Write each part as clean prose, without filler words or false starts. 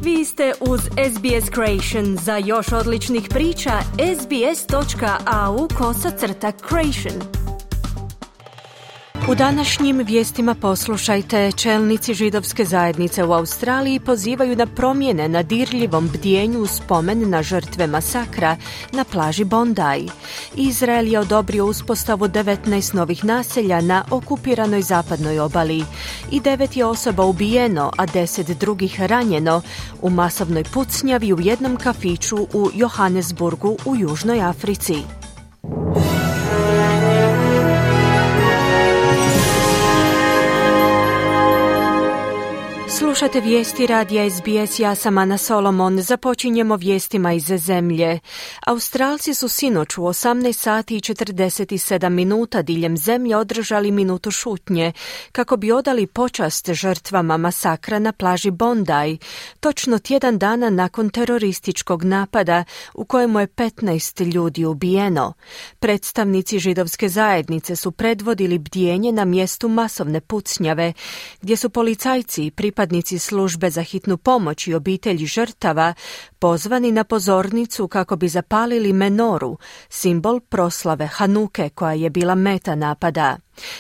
Vi ste uz SBS Creation. Za još odličnih priča, sbs.au/creation. U današnjim vijestima poslušajte, čelnici židovske zajednice u Australiji pozivaju na promjene na dirljivom bdijenju u spomen na žrtve masakra na plaži Bondi. Izrael je odobrio uspostavu 19 novih naselja na okupiranoj zapadnoj obali i 9 je osoba ubijeno, a 10 drugih ranjeno u masovnoj pucnjavi u jednom kafiću u Johannesburgu u Južnoj Africi. Slušate vijesti radija SBS, ja sam Ana Solomon. Započinjemo vijestima iz zemlje. Australci su sinoć u 18 sati i 47 minuta diljem zemlje održali minutu šutnje kako bi odali počast žrtvama masakra na plaži Bondi, točno tjedan dana nakon terorističkog napada u kojemu je 15 ljudi ubijeno. Predstavnici židovske zajednice su predvodili bdijenje na mjestu masovne pucnjave, gdje su policajci i pripadnici službe za hitnu pomoć i obitelji žrtava pozvani na pozornicu kako bi zapalili menoru, simbol proslave Hanuke koja je bila meta napada.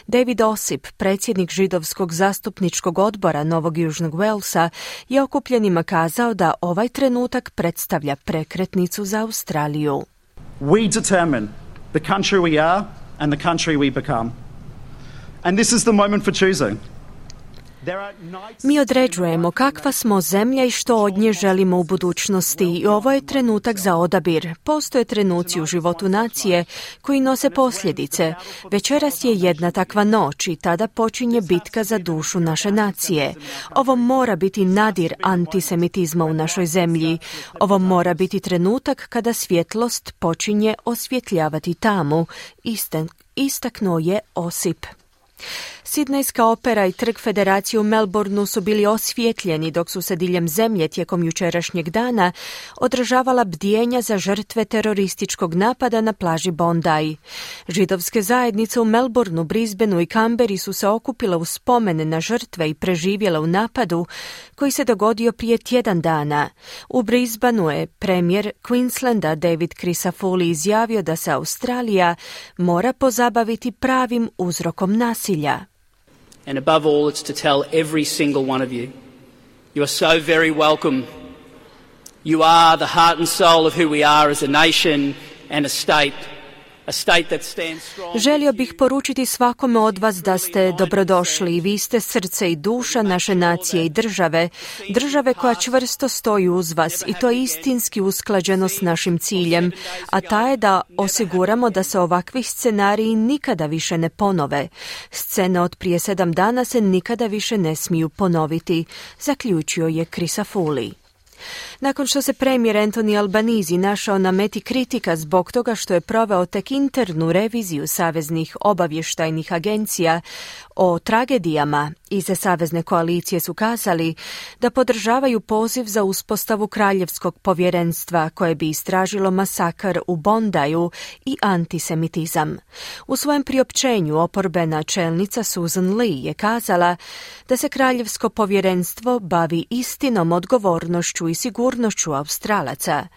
David Osip, predsjednik židovskog zastupničkog odbora Novog Južnog Walesa, je okupljenima kazao da ovaj trenutak predstavlja prekretnicu za Australiju. We determine the country we are and the country we become. And this is the moment for choosing. Mi određujemo kakva smo zemlja i što od nje želimo u budućnosti i ovo je trenutak za odabir. Postoje trenuci u životu nacije koji nose posljedice. Večeras je jedna takva noć i tada počinje bitka za dušu naše nacije. Ovo mora biti nadir antisemitizma u našoj zemlji. Ovo mora biti trenutak kada svjetlost počinje osvjetljavati tamu, istaknuo je Osip. Sidnejska opera i trg Federacije u Melbourneu su bili osvjetljeni dok su se diljem zemlje tijekom jučerašnjeg dana održavala bdijenja za žrtve terorističkog napada na plaži Bondi. Židovske zajednice u Melbourneu, Brisbaneu i Canberri su se okupile u spomen na žrtve i preživjele u napadu koji se dogodio prije tjedan dana. U Brisbaneu je premijer Queenslanda David Crisafulli izjavio da se Australija mora pozabaviti pravim uzrokom nasilja. And above all, it's to tell every single one of you, you are so very welcome. You are the heart and soul of who we are as a nation and a state. Želio bih poručiti svakome od vas da ste dobrodošli i vi ste srce i duša naše nacije i države koja čvrsto stoji uz vas i to je istinski usklađeno s našim ciljem, a ta je da osiguramo da se ovakvi scenariji nikada više ne ponove. Scene od prije 7 dana se nikada više ne smiju ponoviti, zaključio je Crisafulli. Nakon što se premijer Anthony Albanese našao na meti kritika zbog toga što je proveo tek internu reviziju saveznih obavještajnih agencija o tragedijama, iz savezne koalicije su kazali da podržavaju poziv za uspostavu kraljevskog povjerenstva koje bi istražilo masakr u Bondiju i antisemitizam. U svojem priopćenju oporbena čelnica Susan Lee je kazala da se kraljevsko povjerenstvo bavi istinom, odgovornošću i sigurnošću Australaca.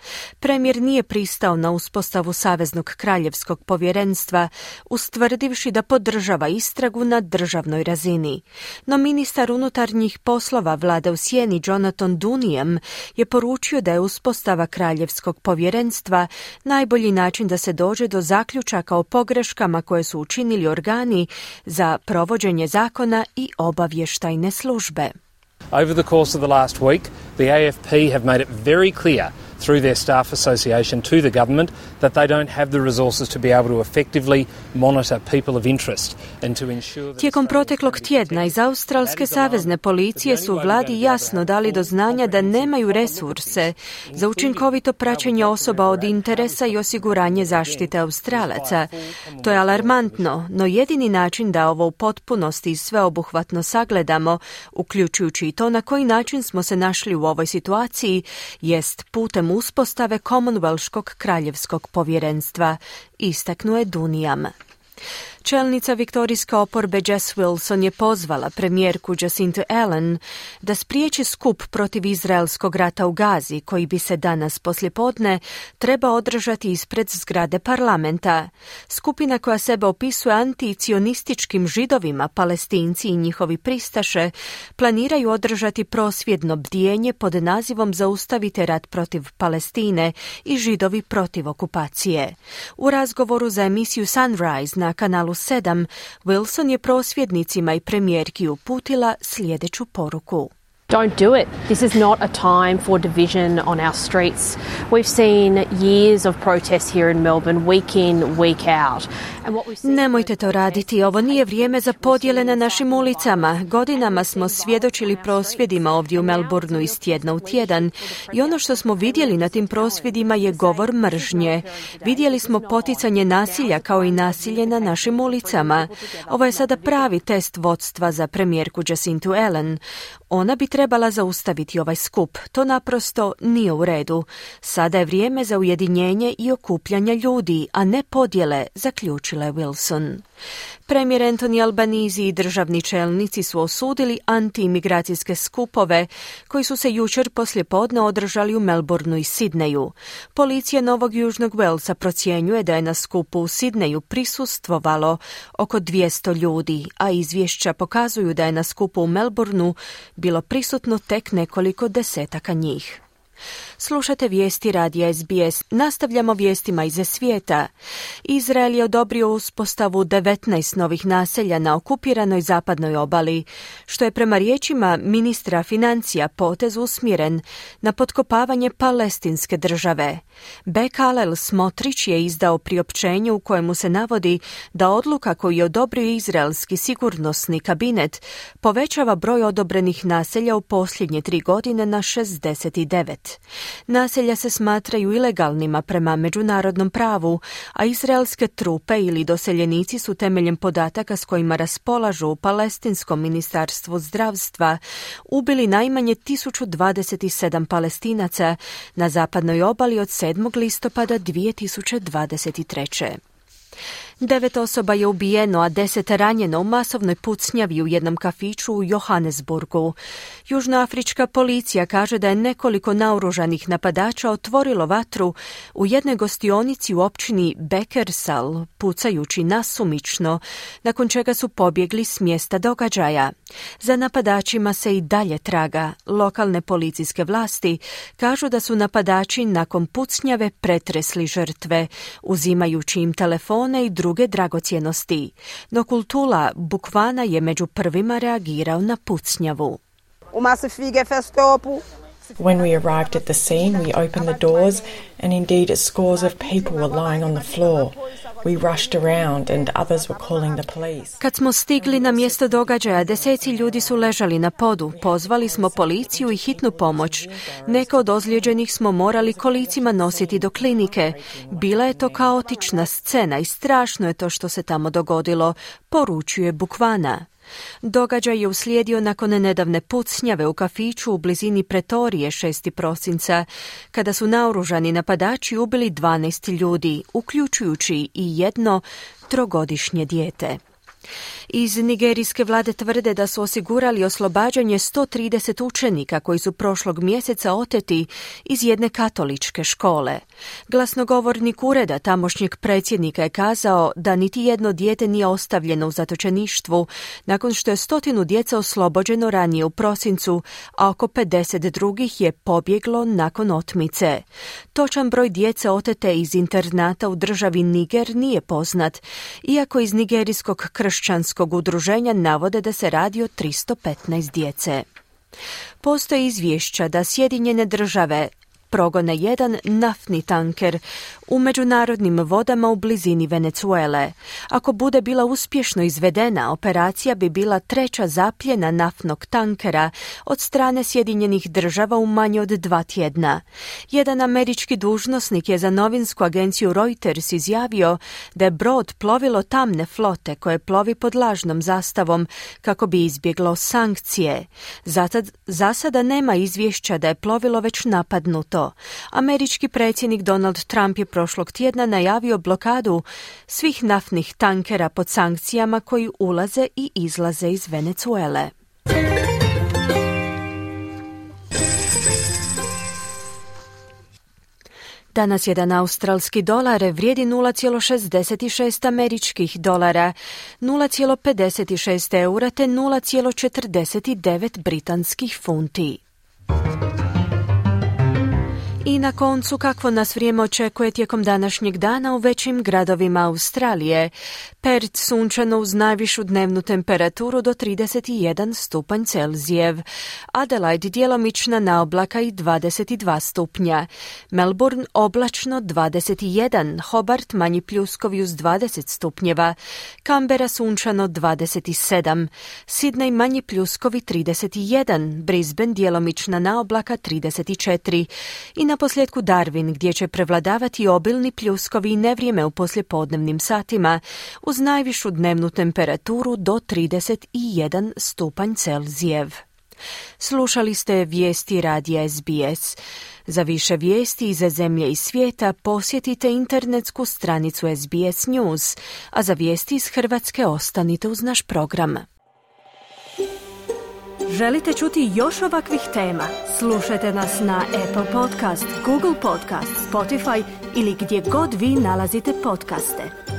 Premijer nije pristao na uspostavu saveznog kraljevskog povjerenstva, ustvrdivši da podržava istragu na državnoj razini. No ministar unutarnjih poslova vlade u sjeni Jonathan Duniam je poručio da je uspostava kraljevskog povjerenstva najbolji način da se dođe do zaključaka o pogreškama koje su učinili organi za provođenje zakona i obavještajne službe. Over the course of the last week, the AFP have made it very clear through their staff association to the government that they don't have the resources to be able to effectively monitor people of interest and to ensure that... Tijekom proteklog tjedna iz Australske savezne policije su vladi jasno dali do znanja da nemaju resurse za učinkovito praćenje osoba od interesa i osiguranje zaštite Australaca. To je alarmantno, no jedini način da ovo u potpunosti i sveobuhvatno sagledamo, uključujući i to na koji način smo se našli u ovoj situaciji, jest putem uspostave Commonwealthskog kraljevskog povjerenstva, istaknuo je Duniam. Čelnica viktorijske oporbe Jess Wilson je pozvala premijerku Jacintu Ardern da spriječi skup protiv izraelskog rata u Gazi, koji bi se danas poslijepodne treba održati ispred zgrade parlamenta. Skupina koja sebe opisuje anticionističkim židovima, Palestinci i njihovi pristaše planiraju održati prosvjedno bdijenje pod nazivom Zaustavite rat protiv Palestine i Židovi protiv okupacije. U razgovoru za emisiju Sunrise na kanalu 7, Wilson je prosvjednicima i premijerki uputila sljedeću poruku. Don't do it. This is not a time for division on our streets. We've seen years of protests here in Melbourne, week in, week out. Nemojte to raditi, ovo nije vrijeme za podjele na našim ulicama. Godinama smo svjedočili prosvjedima ovdje u Melbourneu iz tjedna u tjedan i ono što smo vidjeli na tim prosvjedima je govor mržnje. Vidjeli smo poticanje nasilja kao i nasilje na našim ulicama. Ovo je sada pravi test vodstva za premijerku Jacintu Ardern. Ona bi trebala zaustaviti ovaj skup. To naprosto nije u redu. Sada je vrijeme za ujedinjenje i okupljanje ljudi, a ne podjele, zaključila je Wilson. Premijer Anthony Albanese i državni čelnici su osudili antiimigracijske skupove koji su se jučer poslijepodne održali u Melbourneu i Sidneju. Policija Novog Južnog Walesa procjenjuje da je na skupu u Sidneju prisustvovalo oko 200 ljudi, a izvješća pokazuju da je na skupu u Melbourneu bilo prisutno tek nekoliko desetaka njih. Slušate vijesti radija SBS. Nastavljamo vijestima iz svijeta. Izrael je odobrio uspostavu 19 novih naselja na okupiranoj zapadnoj obali, što je prema riječima ministra financija potez usmjeren na potkopavanje palestinske države. Bezalel Smotrich je izdao priopćenje u kojemu se navodi da odluka koju je odobrio izraelski sigurnosni kabinet povećava broj odobrenih naselja u posljednje 3 godine na 69. Naselja se smatraju ilegalnima prema međunarodnom pravu, a izraelske trupe ili doseljenici su temeljem podataka s kojima raspolažu u Palestinskom ministarstvu zdravstva ubili najmanje 1027 Palestinaca na zapadnoj obali od 7. listopada 2023. 9 osoba je ubijeno, a 10 ranjeno u masovnoj pucnjavi u jednom kafiću u Johannesburgu. Južnoafrička policija kaže da je nekoliko naoružanih napadača otvorilo vatru u jednoj gostionici u općini Beckersal, pucajući nasumično, nakon čega su pobjegli s mjesta događaja. Za napadačima se i dalje traga. Lokalne policijske vlasti kažu da su napadači nakon pucnjave pretresli žrtve, uzimajući im telefone i druge dragocjenosti. No Kultula Bukvana je među prvima reagirao na pucnjavu. When we arrived at the scene, we opened the doors and indeed scores of people were lying on the floor. We rushed around and others were calling the police. Kad smo stigli na mjesto događaja, deseci ljudi su ležali na podu. Pozvali smo policiju i hitnu pomoć. Neke od ozlijeđenih smo morali kolicima nositi do klinike. Bila je to kaotična scena i strašno je to što se tamo dogodilo, poručuje Bukvana. Događaj je uslijedio nakon nedavne pucnjave u kafiću u blizini Pretorije 6. prosinca, kada su naoružani napadači ubili 12 ljudi, uključujući i jedno 3-godišnje dijete. Iz nigerijske vlade tvrde da su osigurali oslobađanje 130 učenika koji su prošlog mjeseca oteti iz jedne katoličke škole. Glasnogovornik ureda tamošnjeg predsjednika je kazao da niti jedno dijete nije ostavljeno u zatočeništvu nakon što je 100 djece oslobođeno ranije u prosincu, a oko 50 drugih je pobjeglo nakon otmice. Točan broj djece otete iz internata u državi Niger nije poznat, iako iz nigerijskog kršćanskog udruženja navode da se radi o 315 djece. Postoje izvješća da Sjedinjene države progone jedan naftni tanker u međunarodnim vodama u blizini Venezuele. Ako bude bila uspješno izvedena, operacija bi bila 3. zapljena naftnog tankera od strane Sjedinjenih država u manje od 2 tjedna. Jedan američki dužnosnik je za novinsku agenciju Reuters izjavio da je brod plovilo tamne flote koje plovi pod lažnom zastavom kako bi izbjeglo sankcije. Za sada nema izvješća da je plovilo već napadnuto. to. Američki predsjednik Donald Trump je prošlog tjedna najavio blokadu svih naftnih tankera pod sankcijama koji ulaze i izlaze iz Venezuele. Danas jedan australski dolar vrijedi 0,66 američkih dolara, 0,56 eura te 0,49 britanskih funti. I na koncu, kakvo nas vrijeme očekuje tijekom današnjeg dana u većim gradovima Australije. Perth sunčano uz najvišu dnevnu temperaturu do 31 stupanj Celzijev. Adelaide djelomična naoblaka i 22 stupnja. Melbourne oblačno 21, Hobart manji pljuskovi uz 20 stupnjeva. Canberra sunčano 27, Sydney manji pljuskovi 31, Brisbane djelomična naoblaka 34 i na posljedku Darwin gdje će prevladavati obilni pljuskovi i nevrijeme u poslijepodnevnim satima uz najvišu dnevnu temperaturu do 31 stupanj Celzijev. Slušali ste vijesti radija SBS. Za više vijesti iz zemlje i svijeta posjetite internetsku stranicu SBS News, a za vijesti iz Hrvatske ostanite uz naš program. Želite čuti još ovakvih tema? Slušajte nas na Apple Podcast, Google Podcast, Spotify ili gdje god vi nalazite podcaste.